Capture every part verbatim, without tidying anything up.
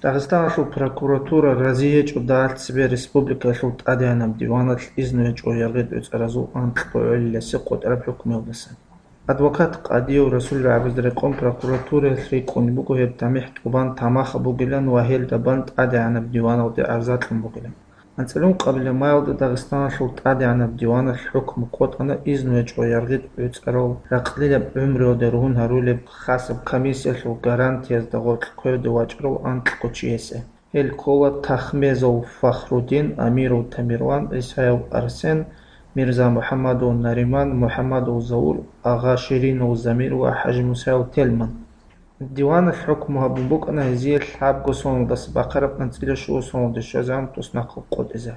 Дагъистаналъул прокуратура рази гьечӀо дагьалъ цебе республикаялъул тӀадегӀанаб диваналъ изну гьечӀо яргъи тӀоцӀаразул анкьго гӀолиласе къотӀараб хӀукмуялдаса. Адвокат къадияв Расул рагӀабазда рекъон прокуратураялъ рикӀкӀунеб буго гьеб тамихӀ тӀубан тамаха бугилан ва гьелда бан тӀадегӀанаб диваналде гӀарза кьун бугилан. АнцӀила ункъабилеб майалда Дагъистаналъул тӀадегӀанаб диваналъ хӀукму къотӀана изну гьечӀо яргъи тӀоцӀарал ракълилаб гӀумруялда ругьун гьарулеб хасаб комиссиялъул гарантиязда гъоркь кверде вачӀарал анкьго чиясе. Гьел ккола Тахмезов Фахрудин, Амиров Тамерлан, ГӀисаев Арсен, Мирза МухӀаммадов Нариман, МухӀаммадов Заур, Агъа Ширинов Замир ва ХӀажимусаев Тельман. Диваналъ хӀукму гьабун букӀана гьезие лъабго соналдаса бахъараб анцӀила щуго соналде щвезегӀан туснахъал къотӀизе.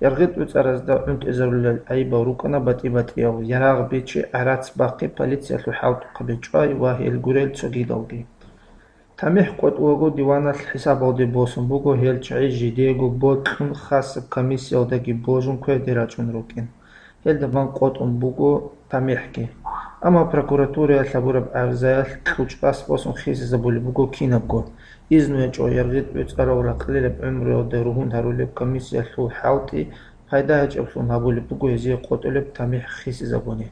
Яргъи тӀоцӀаразда гӀунтӀизарулел гӀайибал рукӀана батӀи-батӀиял: ярагъ бичи, гӀарац бахъи, полициялъул хӀалтӀухъаби чӀвай ва гьел гурел цогидалги. ТамихӀ къотӀулаго диваналъ хӀисабалде босун буго гьел чагӀи жидеего бокьун хасаб комиссиялдаги божун кверде рачӀун рукӀин. Гьелда бан къотӀун буго тамихӀги. Амма прокуратураялъ гьабураб гӀарзаялъ кьучӀбас босун хисизабулеб буго кинабго. Изну гьечӀо яргъи тӀоцӀарал ракълилаб гӀумруялда ругьун гьарулеб комиссиялъул хӀалтӀи пайда гьечӀеблъун гьабулеб буго гьезие къотӀулеб тамихӀ хисизабуни.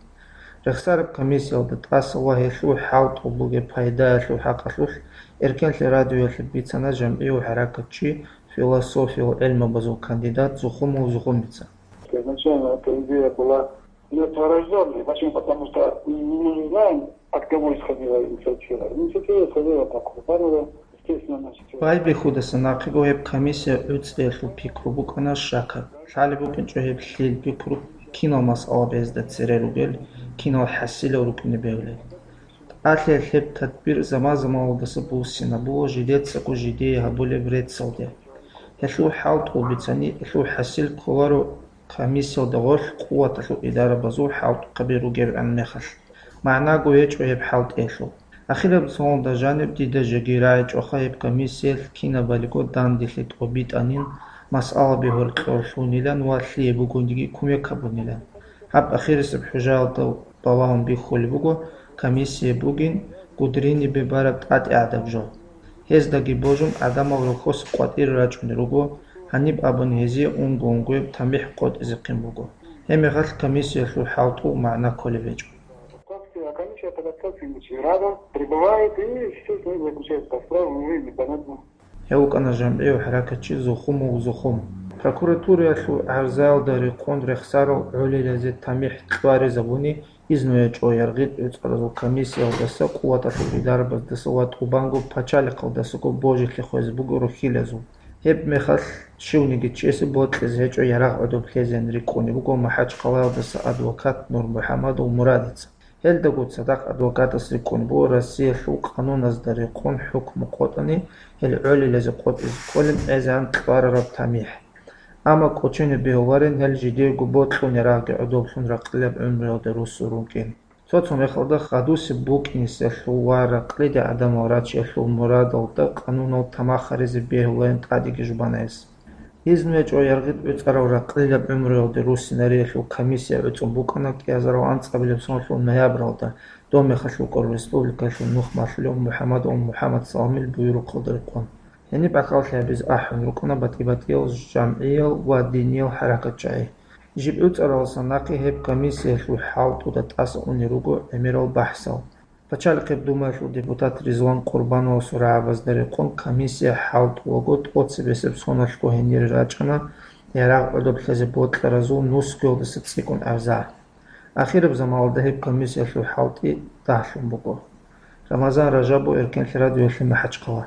Рехсараб комиссиялда тӀаса ва гьелъул хӀалтӀул бугеб пайдаялъул хӀакъалъулъ Эркенлъи радиоялъе бицана жамгӀияв хӀаракатчи, философиял гӀелмабазул кандидат Зухумов Зухумица. Изначально эта идея была мертворождённой. Почему? Потому что мы не знаем, от кого исходила инициатива. Инициатива исходила от Акубанова, естественно, значит. Байбихьудаса нахъего гьеб комиссия гӀуцӀиялъул пикру букӀана щакаб. Лъалеб букӀинчӀо гьеб лъил пикру, кинал масъала безда цере ругел, кинал хӀасилал рукӀине бегьулел. Алъе гьеб тадбир заман-заманалдаса буссинабула жидецаго жидее гьабулеб реццалде. Гьелъул хӀалтӀул бицани, гьелъул хӀасил кколаро комиссиялда гъорлъ къуваталъул идарабазул хӀалтӀухъаби ругебгӀан мехалъ. МагӀнаго гьечӀо гьеб хӀалтӀиялъул. Ахираб соналда жаниб дида жеги рагӀичӀоха гьеб комиссиялъ кинабалиго данделъи тӀобитӀанин, масъалаби гьоркьор лъунилан ва лъие бугониги кумек гьабунилан. Гьаб ахирисеб хӀужаялда балагьун бихьулеб буго, комиссия бугин Гудринибе бараб тӀатӀигӀадаб жо. Гьездаги божун гӀадамал рохьоса къватӀире рачӀунел руго, гьаниб абуни гьезие унго-унгояб тамихӀ къотӀизехъин буго. Гьебмехалъ комиссиялъул хӀалтӀул магӀна кколеб гьечӀо. Подкасты, а комиссия по подкастам рядом прибывает и, естественно, заключает по справам, ну и непонятно. Гьев вукӀана жамгӀияв хӀаракатчи Зухумов Зухум. Прокуратураялъул гӀарзаялда рекъон рехсарал гӀолилазе тамихӀ кьваризабуни, изну гьечӀо яргъи тӀоцӀаразул комиссиялдаса, къуваталъул идарабаздаса ва тӀубанго пачалихъалдасаго божилъи хвезе буго рухьилазул. Гьеб мехалъ щивниги чиясе бокьизе гьечӀо ярагъ гӀодоб лъезеян рикӀкӀунеб буго МахӀачхъалаялдаса адвокат Нурмухьамадов Мурадица. Гьелдаго цадахъ адвокатас рикӀкӀун буго Россиялъул къануназда рекъон хӀукму къотӀани, гьел гӀолилазе къотӀизе кколеб гӀезегӀан кьварараб тамихӀ. Амма кӀочене бегьуларин гьел жидеего бокьун ярагъги гӀодоблъун ракълилаб гӀумруялда руссун рукӀин. Цо-цо мехалда хадусеб букӀинесалъул ва ракълиде гӀадамал рачиялъул мурадалда къанунал тамах гьаризе бегьуларин тӀадеги жубана гьес. Изну гьечӀо яргъи тӀоцӀарал ракълилаб гӀумруялде руссинариялъул комиссия гӀуцӀун букӀана кӀиазарал анцӀабилеб соналъул ноябралда, доб мехалъ рукӀарал республикаялъул нух малъулев МухӀаммадов МухӀаммад Саламил буюрухъалда рекъон. Гьениб гӀахьаллъи гьабизе ахӀун рукӀана батӀи-батӀиял жамгӀиял ва диниял хӀаракатчагӀи. Жиб гӀуцӀаралдаса нахъе гьеб комиссиялъул хӀалтӀуда тӀаса унел руго гӀемерал бахӀсал. Пачалихъеб Думаялъул депутат Ризван Къурбановасул рагӀабазда рекъон комиссия хӀалтӀулаго тӀоцебесеб соналъго гьенире рачӀана ярагъ гӀодоб лъезе бокьаразул нусгоялдаса цӀикӀкӀун гӀарза. Ахираб заманалда гьеб комиссиялъул хӀалтӀи дагьлъун буго. Рамазан Ражабов, Эркенлъи радиоялъе МахӀачхъала.